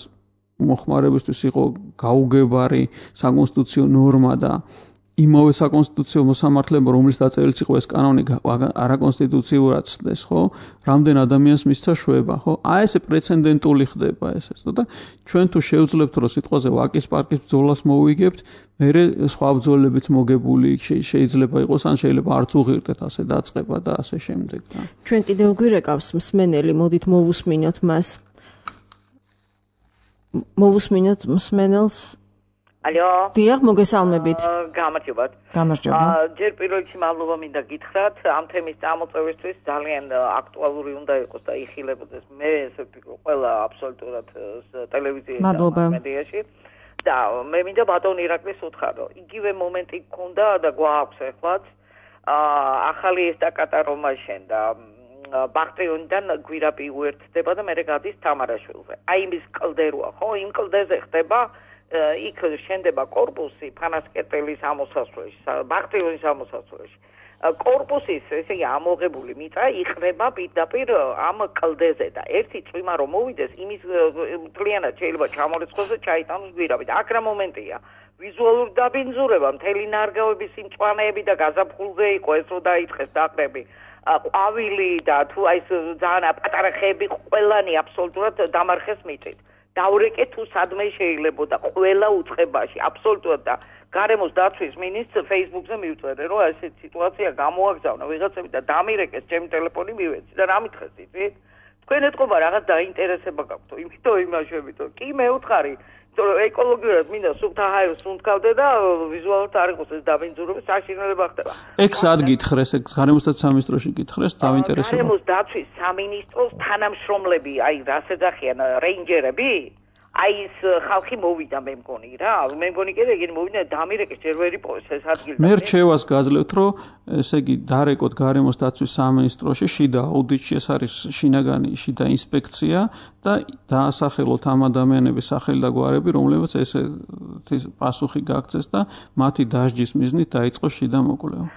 მოხმარებისთვის იყო გაუგებარი საკონსტიტუციო ნორმა და იმავე საკონსტიტუციო მოსამართლეობა, რომლის დაწერილიც იყო ეს კანონი, არაკონსტიტუციურად ცდეს, ხო? რამდენ ადამიანს მისცა შვება, ხო? ესე პრეცედენტული ხდება ესე. და ჩვენ თუ შევძლებთ, რომ სიტყვაზე ვაკის პარკის ბრძოლას მოვიგებთ, მერე სხვა ბრძოლებიც მოგებული შეიძლება იყოს, ან შეიძლება არც უღირდეთ ასე დაწყება და ასე შემდეგ. ჩვენ კიდევ გვირეკავს მსმენელი, მოდით მოვუსმინოთ მას. მოვუსმინოთ მსმენელს. ალო. დიახ, მოგესალმებით. გამარჯობათ. გამარჯობა. ჯერ პირველ რიგში მადლობა მინდა გითხრათ ამ თემის წამოწევისთვის, ძალიან აქტუალური უნდა იყოს და იხილებოდეს. მე ესე ვფიქრობ, ყველა აბსოლუტურად ტელევიზიაში და მედიაში. და მე მინდა ბატონ ირაკლის უთხრა, იგივე მომენტი გქონდა და გვაქვს ახლაც. ახალი ესტაკატა რომ აშენდა ბახტეონიდან გვირაბი უერთდება და მე გადის თამარაშვილზე. აი იმის კლდეროა, ხო? იმ კლდეზე ხდება იქ შენდება კორპუსი ფანასკერტელის ამოსასვლელში, ბახტეონის ამოსასვლელში. კორპუსის ესე ამოღებული მიწა იხრება პირდაპირ ამ კლდეზე და ერთი წვიმა რომ მოვიდეს, იმის მთლიანად შეიძლება ჩამორიცხოს და ჩაიტანოს გვირაბი. აქ რა მომენტია? ვიზუალური დაბინძურება, მთელი ნარგავების სიმწვანეები და გაზაფხულზე იყო ეს რომ დაიწყეს დაყრები. ყვავილი და თუ აი ეს ძალიან პატარა ხეები ყველანი აბსოლუტურად დამარხეს მიწით. დავრეკე თუ სადმე შეიძლებოდა ყველა უწყებაში აბსოლუტურად და გარემოს დაცვის მინისტრს Facebook-ზე მივწერე რომ ესეთი სიტუაცია გამოაგზავნა ვიღაცები და დამირეკეს ჩემი ტელეფონი მივეცი და რა მითხეს იცით თქვენ ეთყობა რაღაც დაინტერესება გაქვთ იმიტომ იმაშებითო კი მე უთხარი ეკოლოგიურად მინდა სუფთა ჰაერს უნდკავდე და ვიზუალურად არ იყოს ეს დაბინძურება საშინელება ხდება ეგ სად გითხრეს ეგ გარემოს დაცვის სამინისტროში გითხრეს დაინტერესება გარემოს დაცვის სამინისტროს თანამშრომლები აი რას ეძახიან რეინჯერები აი ეს ხალხი მოვიდა მე მგონი რა მე მგონი კიდე ეგენი მოვიდა დამირეკეს ჯერ ვერ იპოვეს ეს ადგილი მე რჩევას გაძლევთ რომ ესე იგი დარეკოთ გარემოს დაცვის სამინისტროში შიდა აუდიტში ეს არის შინაგანი შიდა ინსპექცია და დაასახელოთ ამ ადამიანების სახელი და გვარები რომლებიც ესე პასუხი გაგცეს და მათი დასჯის მიზნით დაიწყოს შიდა მოკვლევა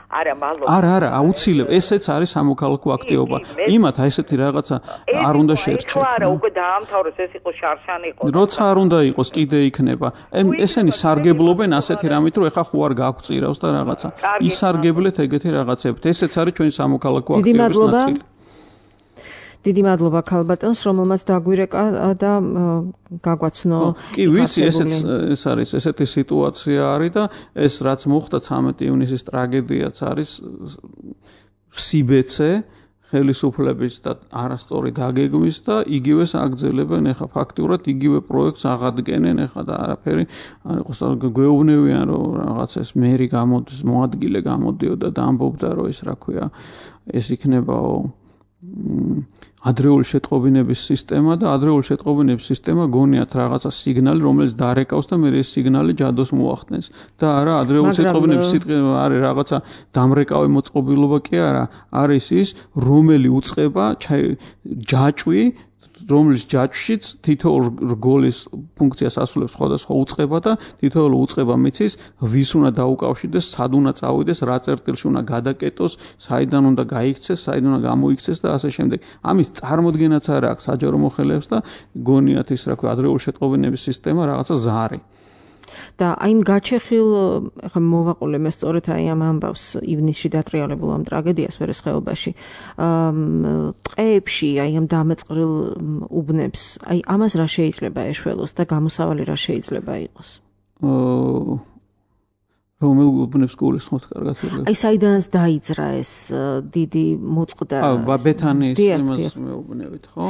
არა აუცილებლად ესეც არის სამოქალაქო აქტივობა იმათ აი ესეთი რაღაცა არ უნდა შეერჩეთ არა უკვე დაამთავრეს ეს იყო შარშანი იყო როცა არ უნდა იყოს კიდე იქნება ესენი სარგებლობენ ასეთი რამით რომ ეხა ხო არ გაგვწირავს და რაღაცა ისარგებლეთ ეგეთი რაღაცებით ესეც არის ჩვენი სამოქალაქო აქტივობის ნაწილი დიდი მადლობა ქალბატონს რომელმაც დაგვირეკა და გაგვაცნო კი ვიცი ეს არის ესეთი სიტუაცია არის და ეს რაც მოხდა 13 ივნისის ტრაგედიაც არის სიბეცე ხელისუფლების და არასწორი დაგეგმვის და იგივეს აგრძელებენ ეხა ფაქტურად იგივე პროექტს აღადგენენ ეხა და არაფერი არ იყოს გვეუბნებიან რომ რაღაც ეს მერი გამოდის მოადგილე გამოდიოდა და ამბობდა რომ ეს რა ქვია ეს იქნებაო ადრეული შეტყობინების სისტემა და ადრეული შეტყობინების სისტემა გონიათ რაღაცა სიგნალი რომელიც დარეკავს და მე ეს სიგნალი ჯადოს მოახდენს და არა ადრეული შეტყობინების სიტყვა არის რაღაცა დამრეკავი მოწყობილობა კი არა არის ის რომელი უწყება ჯაჭვი რომლის ჯაჭვშიც თითოეულ რგოლის ფუნქციას ასრულებს სხვადასხვა უწყება და თითოეულ უწყება მიცის ვის უნდა დაუკავშირდეს, სად უნდა წავიდეს, რა წერტილში უნდა გადაკეტოს, საიდან უნდა გაიქცეს, საიდან უნდა გამოიქცეს და ასე შემდეგ. ამის წარმოდგენაც არ აქვს საჯარო მოხელეებს და გონიათ ის რა ქვია ადრეული შეტყობინების სისტემა რაღაცა ზარი. და აი იმ გაჩეხილ ხა მოვაყოლე მე სწორედ აი ამ ამბავს ივნისში დატრიალებულ ამ ტრაგედიას ვერესხეობაში ტყეებში აი ამ დამეწყრილ უბნებს აი ამას რა შეიძლება ეშველოს და გამოსავალი რა შეიძლება იყოს რომელ უბნებს გულისხმობთ კარგად ვიგებ აი საიდანაც დაიძრა ეს დიდი მოწყდა ბეთანის იმას მეუბნებით ხო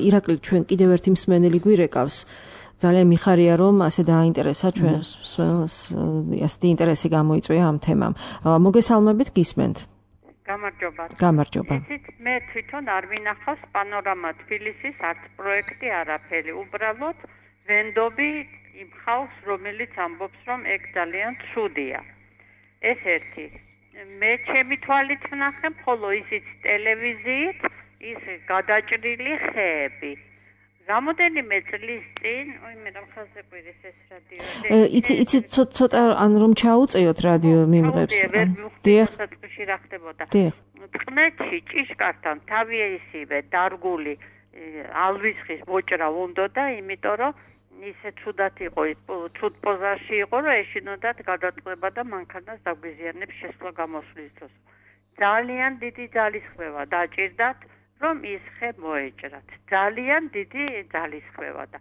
ირაკლი ჩვენ კიდევ ერთი მსმენელი გვირეკავს ძალიან მიხარია რომ ასე დააინტერესა ჩვენს ასეთი ინტერესი გამოიწვია ამ თემამ. მოგესალმებით გისმენთ. გამარჯობა. ისიც მე თვითონ არ მინახავს პანორამა თბილისის არც პროექტი არაფერი. უბრალოდ ვენდობი იმ ხალხს რომელიც ამბობს რომ ეგ ძალიან ცუდია. ეს ერთი. მე ჩემი თვალით ვნახე ხოლო ისიც ტელევიზიით ის გადაჭრილი ხეები. რამოდენიმე წლის წინ, მე რა ხალხზე ყვირის ეს რადიო. იცი ცოტა ან რომ ჩაუწეოთ რადიო მიმღებს. დიახ. საწყისში რა ხდებოდა. წყნეთში ჭიშკართან თავი ისივე დარგული ალვისხის მოჭრა უნდოდა, იმიტომ რომ ისე ცუდად იყო, ცუდ პოზაში იყო, რომ ეშინოდათ გადაწყვეტა და მანქანას დაგვიზიანებს შესვლა გამოსვლის დროს. ძალიან დიდი ძალისხმევა დაჭირდათ, რომ ის ხე მოეჭრათ. ძალიან დიდი ძალისხმევა და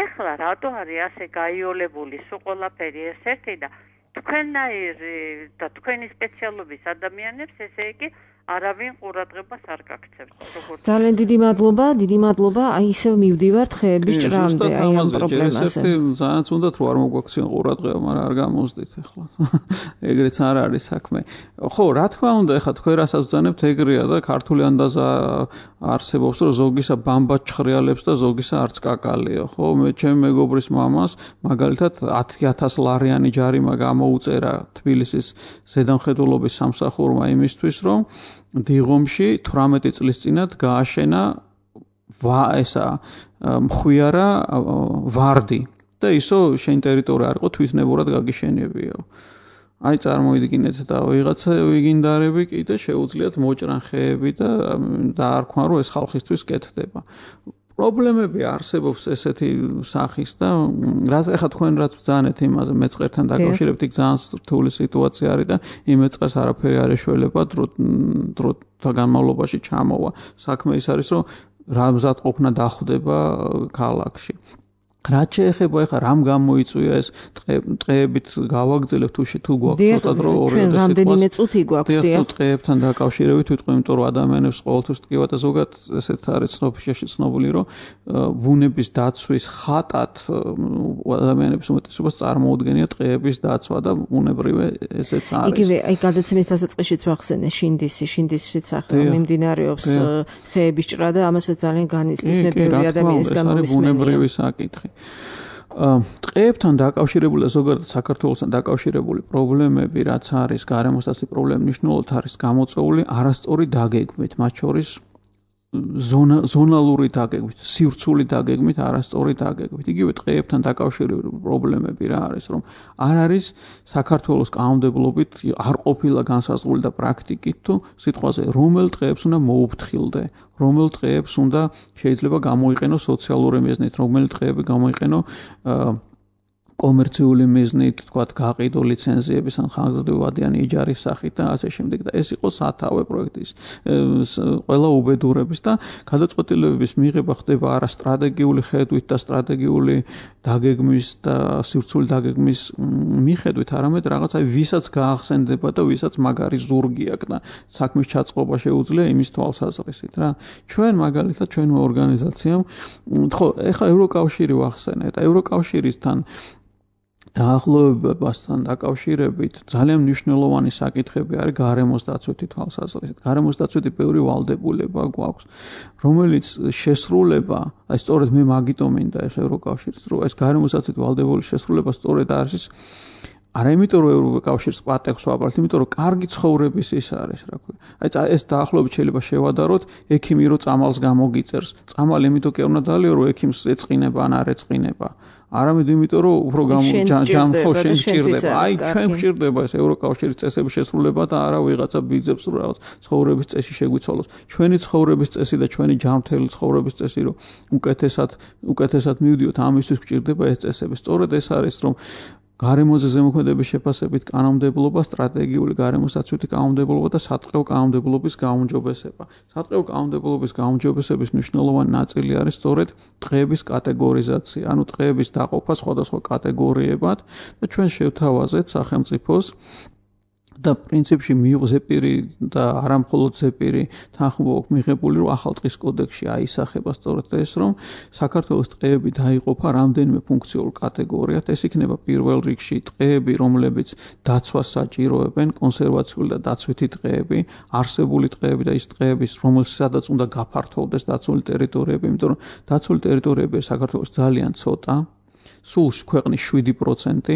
ეხლა რატო არის ასე გაიოლებული სულ ყველაფერი ეს-ერთი და თქვენნაირი და თქვენი სპეციალობის ადამიანებს ესე იგი არავინ ყურადღებას არ გაქცევთ. ძალიან დიდი მადლობა. აი ისევ მივდივართ ხეების ჭრამდე აი ამ პრობლემაზე. ძალიან უნდათ რომ არ მოგვაქციონ ყურადღება, მაგრამ არ გამოსდით ახლა. ეგრეც არ არის საქმე. ხო, რა თქმა უნდა, ახლა თქვენ რასაც ბრძანებთ ეგრეა და ქართული ანდაზა არსებობს, რომ ზოგისა ბამბა ჩხრიალებს და ზოგისა არც კაკალია, ხო? მე ჩემი მეგობრის მამას მაგალითად 10,000 ლარიანი ჯარიმა გამოუწერა თბილისის ზედამხედველობის სამსახურმა იმისთვის, რომ დიღომში 18 წლის წინათ გააშენა მხვიარა ვარდი და ისო შენ ტერიტორია არ იყო თვითნებურად გაგიშენებიო. აი წარმოიდგინეთ და ვიღაცა ვიგინდარები კიდე შეუძლიათ მოჭრან ხეები და დაარქვან რომ ეს ხალხისთვის კეთდება. პრობლემები არსებობს ესეთი სახის და რაც ახლა თქვენ რაც ბრძანეთ იმაზე მეწყერთან დაკავშირებით იქ ძალიან რთული სიტუაცია არის და იმ მეწყერს არაფერი არ ეშველება დროთა განმავლობაში ჩამოვა. საქმე ის არის რომ რა მზადყოფნა დახვდება ქალაქში. რაც შეეხება ახლა რამ გამოიწვია ეს ტყეებით გავაგრძელებთ თუ გვაქვს ცოტა დრო ჩვენ რამდენიმე წუთი გვაქვს დიახ ტყეებთან დაკავშირებით ვიტყვი იმიტომ რომ ადამიანებს ყოველთვის ტკივა და ზოგადად ესეთ არის ცნობილი რომ ბუნების დაცვის ხატად ადამიანების უმეტესობას წარმოუდგენია ტყეების დაცვა და ბუნებრივე ესეც არის იგივე აი გადაცემის დასაწყისშიც ვახსენე შინდისშიც ახლა მიმდინარეობს ხეების ჭრა და ამასაც ძალიან განიცდის მე ბევრი ადამიანის გამომისმენია ბუნებრივი საკითხი ტყეებთან დაკავშირებული და ზოგადად საქართველოსთან დაკავშირებული პრობლემები რაც არის გარემოსდაცვის პრობლემა მნიშვნელოვნად არის გამოწვეული არასწორი დაგეგმით მათ შორის ზონალური დაგეგმით სივრცული დაგეგმით არასწორი დაგეგმით იგივე ტყეებთან დაკავშირებული პრობლემები რა არის რომ არ არის საქართველოს კანონმდებლობით არ ყოფილა განსაზღვრული და პრაქტიკით თუ სიტყვაზე რომელ ტყეებს უნდა მოუფრთხილდე რომელ ტყეებს უნდა შეიძლება გამოიყენოს სოციალური მიზნით რომელი ტყეები გამოიყენო კომერციული მიზნით, თქვათ, გაყიდო ლიცენზიების ან ხანგრძლივადიანი იჯარის სახით და ასე შემდეგ და ეს იყო სათავე პროექტის ყველა უბედურების და გადაწყვეტილებების მიღება ხდება არა სტრატეგიული ხედვით და სტრატეგიული დაგეგმვის და სივრცული დაგეგმის მიხედვით, არამედ რაღაც აი ვისაც გაახსენდება და ვისაც მაგარი ზურგი აქვს და საქმის ჩაწყობა შეუძლია იმის თვალსაზრისით რა. ჩვენ მაგალითად ჩვენმა ორგანიზაციამ ხო, ეხლა ევროკავშირი ვახსენეთ, ევროკავშირისთან დაახლოებასთან დაკავშირებით ძალიან მნიშვნელოვანი საკითხები არის გარემოს დაცვითი თვალსაზრისით. გარემოს დაცვითი ბევრი ვალდებულება გვაქვს, რომელიც შესრულება, აი სწორედ მე მაგიტომ მინდა ეს ევროკავშირის, რომ ეს გარემოს დაცვითი ვალდებული შესრულება სწორედ არის არა იმიტომ რომ ევროკავშირს პატექს ვაბართ, იმიტომ რომ კარგი ცხოვრების ის არის, რა ქვია. აი ეს დაახლოებით შეიძლება შევადაროთ ექიმი რომ წამალს გამოგიწერს. წამალი იმიტომ კი არ უნდა დალიო რომ ექიმს ეწყინება ან არ ეწყინება. არამედ იმიტომ რომ უფრო ჯანმრთელ შენ სჭირდება. აი ჩვენ გვჭირდება ეს ევროკავშირის წესების შესრულება და არა ვიღაცა ბიძებს რომ რაღაც ცხოვრების წესი შეგვიცვალოს. ჩვენი ცხოვრების წესი და ჩვენი ჯანმრთელი ცხოვრების წესი რომ უკეთესად მივდიოთ ამისთვის გვჭირდება ეს წესები. სწორედ ეს არის რომ გარემოზე ზემოქმედების შეფასებით კანონმდებლობა, სტრატეგიული გარემოს დაცვითი კანონმდებლობა და სატყეო კანონმდებლობის გაუმჯობესება. სატყეო კანონმდებლობის გაუმჯობესების მნიშვნელოვანი ნაწილი არის სწორედ ტყეების კატეგორიზაცია, ანუ ტყეების დაყოფა სხვადასხვა კატეგორიებად და ჩვენ შევთავაზეთ სახელმწიფოს და პრინციპში ზეპირი და არა მხოლოდ ზეპირი თანხმობა მიღებული რომ ახალ ტყის კოდექსში აისახება სწორედ ეს რომ საქართველოს ტყეები დაიყოფა რამდენიმე ფუნქციურ კატეგორიად ეს იქნება პირველ რიგში ტყეები რომლებიც დაცვას საჭიროებენ კონსერვაციული და დაცვითი ტყეები არსებული ტყეები და ის ტყეები რომელსაც უნდა გაფართოვდეს დაცული ტერიტორიები იმიტომ რომ დაცული ტერიტორიები საქართველოს ძალიან ცოტა სულ ქვეყნის 7%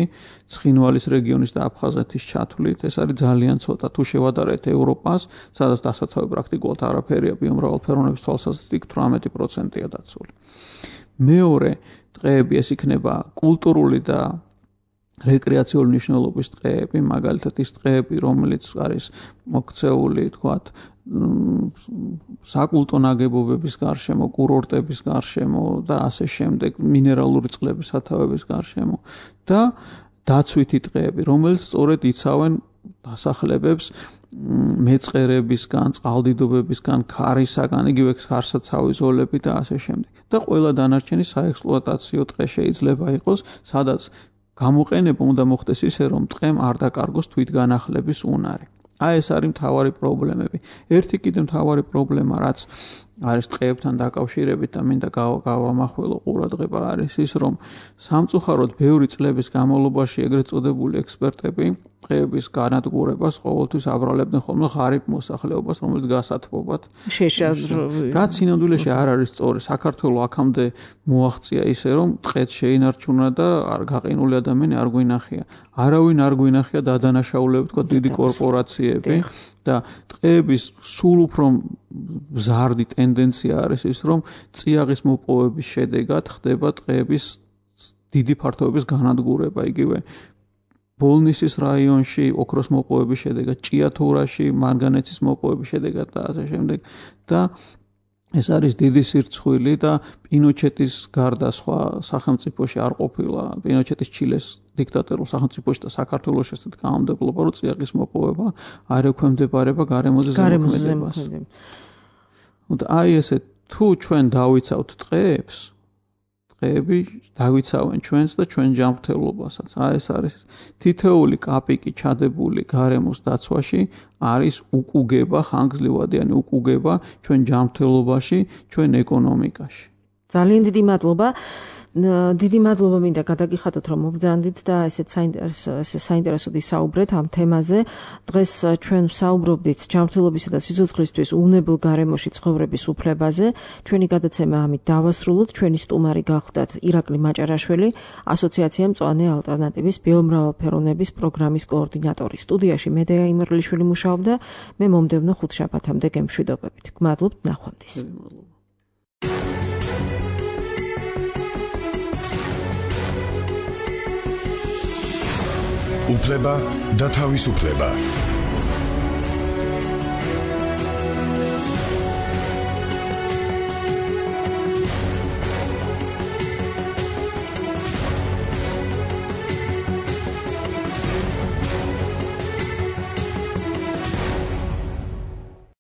ცხინვალის რეგიონის და აფხაზეთის ჩათვლით ეს არის ძალიან ცოტა თუ შევადარეთ ევროპას სადაც დასაცავი პრაქტიკულად არაფერია ბიომრავალფეროვნების თვალსაზრისით 18%-ია დაცული. მეორე ტყეები ეს იქნება კულტურული და რეკრეაციული მნიშვნელობის ტყეები, მაგალითად ის ტყეები, რომელიც არის მოქცეული, თქვათ, საკულტო ნაგებობების გარშემო, კურორტების გარშემო და ასე შემდეგ, მინერალური წყლების სათავეების გარშემო და დაცვითი ტყეები, რომელიც სწორედ იცავენ დასახლებებს მეწყერებისგან, წყალდიდობებისგან, ქარისაგან, იგივე ქარსაცავი ზოლები და ასე შემდეგ. და ყველა დანარჩენი საექსპლუატაციო ტყე შეიძლება იყოს, სადაც გამოყენება უნდა მოხდეს ისე, რომ ტყემ არ დაკარგოს თვითგანახლების უნარი. აი ეს არის მთავარი პრობლემები. ერთი კიდევ მთავარი პრობლემა, რაც არის ტყეებთან დაკავშირებით და მინდა გავამახვილო ყურადღება არის ის, რომ სამწუხაროდ ბევრი წლების განმავლობაში ეგრეთ წოდებული ექსპერტები ტყეების განადგურებას ყოველთვის აბრალებდნენ ხოლმე ღარიბ მოსახლეობას, რომელიც გასათბობად. რაც სინამდვილეში არ არის სწორი. საქართველოს აქამდე მოაღწია ისე, რომ ტყეც შეინარჩუნა და გაყინული ადამიანი არ გვინახია. არავინ არ გვინახია დადანაშაულებით, თქვა დიდი კორპორაციები და ტყეების სულ უფრო მზარდი ტენდენცია არის ის, რომ წიაღის მოპოვების შედეგად ხდება ტყეების დიდი ფართობების განადგურება, იგივე ბოლნისის რაიონში ოქროს მოპოვების შედეგად, ჭიათურაში მანგანეცის მოპოვების შედეგად და ასე შემდეგ და ეს არის დიდი სირცხვილი და პინოჩეტის გარდა სხვა სახელმწიფოში არ ყოფილა, პინოჩეტის ჩილეს დიქტატორულ სახელმწიფოში და საქართველოს ესეთ გამომდებობა, რომ წიაღის მოპოვება არ ექვემდებარება გარემოზე ზემოქმედებას. და აი ესე თუ ჩვენ დავიცავთ ტყეებს, ტყეები დავიცავენ ჩვენს და ჩვენ ჯანმრთელობასაც. აი ეს არის თითოეული კაპიკი ჩადებული გარემოს დაცვაში არის უკუგება, ხანგრძლივადიანი უკუგება ჩვენ ჯანმრთელობაში, ჩვენ ეკონომიკაში. ძალიან დიდი მადლობა. დიდი მადლობა მინდა გადაგიხადოთ, რომ მობრძანდით და ესეც საინტერესოდ ისაუბრეთ ამ თემაზე. დღეს ჩვენ ვსაუბრობდით ჯანმრთელობისა და სიცოცხლისთვის უვნებელ გარემოში ცხოვრების უფლებაზე. ჩვენი გადაცემა ამით დავასრულოთ. ჩვენი სტუმარი გახლდათ ირაკლი მაჭარაშვილი, ასოციაცია მწვანე ალტერნატივის ბიომრავალფეროვნების პროგრამის კოორდინატორი. სტუდიაში მედეა იმერლიშვილი მუშაობდა. მე მომდევნო ხუთშაბათამდე გემშვიდობებით. გმადლობთ ნახვამდის. უფლება და თავისუფლება.